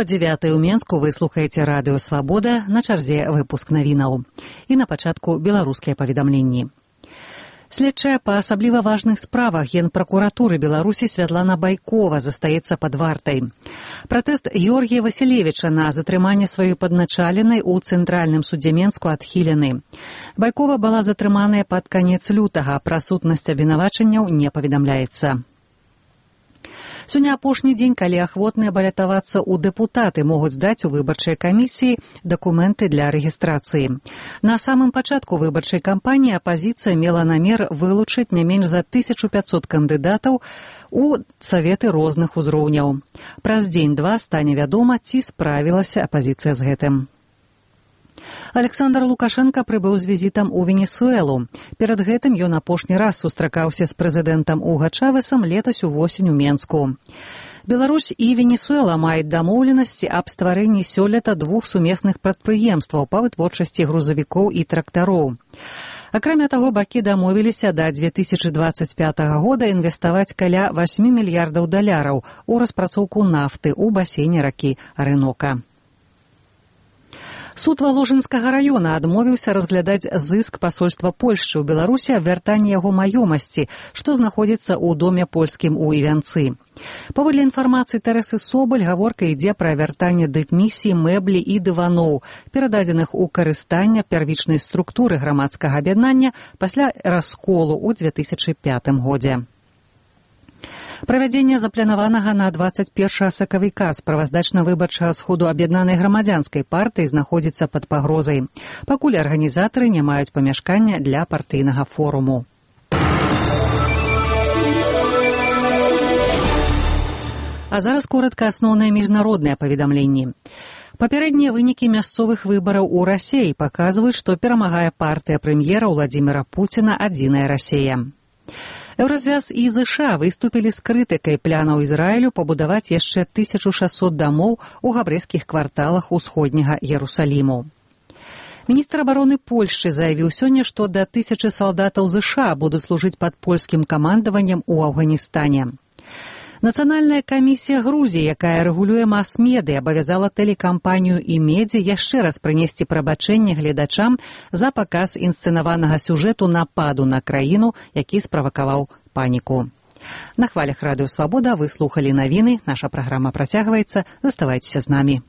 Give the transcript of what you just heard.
9 ў Менску вы слухаеце радыё «Свабода», на чарзе выпуск навінаў. І на пачатку беларускія паведамленні. Следчая па асабліва важных справах Генпракуратуры Беларусі Святлана Байкова застаецца пад вартай. Пратэст Георгія Васілевіча на затрыманне сваёй падначаленай у Цэнтральным судзе Менску адхілены. Байкова была затрыманая пад канец лютага, пра сутнасць абвінавачанняў не паведамляецца. Сёння апошні дзень, калі ахвотныя балятавацца ў дэпутаты могуць здаць у выбарчай камісіі дакументы для рэгістрацыі. На самым пачатку выбарчай кампаніі апазіцыя мела намер вылучыць не менш за 1500 кандыдатаў у саветы розных узроўняў. Праз дзень-два стане вядома, ці справілася апазіцыя з гэтым. Александр Лукашенко прыбыў з візітам у Венесуэлу. Перад гэтым ён апошні раз сустракаўся з прэзідэнтам Уга Чавесам летась увосень у Менску. Беларусь і Венесуэла маюць дамоўленасці аб стварэнні сёлета двух сумесных прадпрыемстваў па вытворчасці грузавікоў і трактароў. Акрамя таго, бакі дамовіліся да 2025 года інвеставаць каля $8 мільярдаў у распрацоўку нафты ў басейне ракі Арынока. Суд Валожынскага раёна адмовіўся разглядаць зыск пасольства Польшчы ў Беларусі аб вяртанні яго маёмасці, што знаходзіцца ў доме польскім у Івянцы. Паводле інфармацыі Тэрэсы Собаль, гаворка ідзе пра вяртанне дыпмісій, мэблі і дываноў, перададзеных у карыстанне первічнай структуры грамадскага аб'яднання пасля расколу ў 2005 годзе. Правядзенне запланаванага на 21 сакавіка справаздачна-выбарчага сходу аб'яднанай грамадзянскай партыі знаходзіцца пад пагрозай. Пакуль арганізатары не маюць памяшкання для партыйнага форуму. А зараз коратка асноўныя міжнародныя паведамленні. Папярэднія вынікі мясцовых выбараў у Расіі паказваюць, што перамагае партыя прэм'ера Владзіміра Пуціна «Адзіная Расія». Еўразвяз і ЗША выступілі з крытыкай планаў Ізраілю пабудаваць яшчэ 1600 дамоў у габрэйскіх кварталах усходняга Ерусаліму. Міністр абароны Польшчы заявіў сёння, што да 1000 салдатаў ЗША будуць служыць пад польскім камандаваннем у Афганістане. Нацыянальная камісія Грузіі, якая рэгулюе мас-медыя, абавязала тэлекампанію «Імедзі» яшчэ раз прынесці прабачэнне гледачам за паказ інсцэнаванага сюжэту нападу на краіну, які справакаваў паніку. На хвалях радыё «Свабода» вы слухалі навіны. Наша праграма працягваецца. Заставайцеся з намі.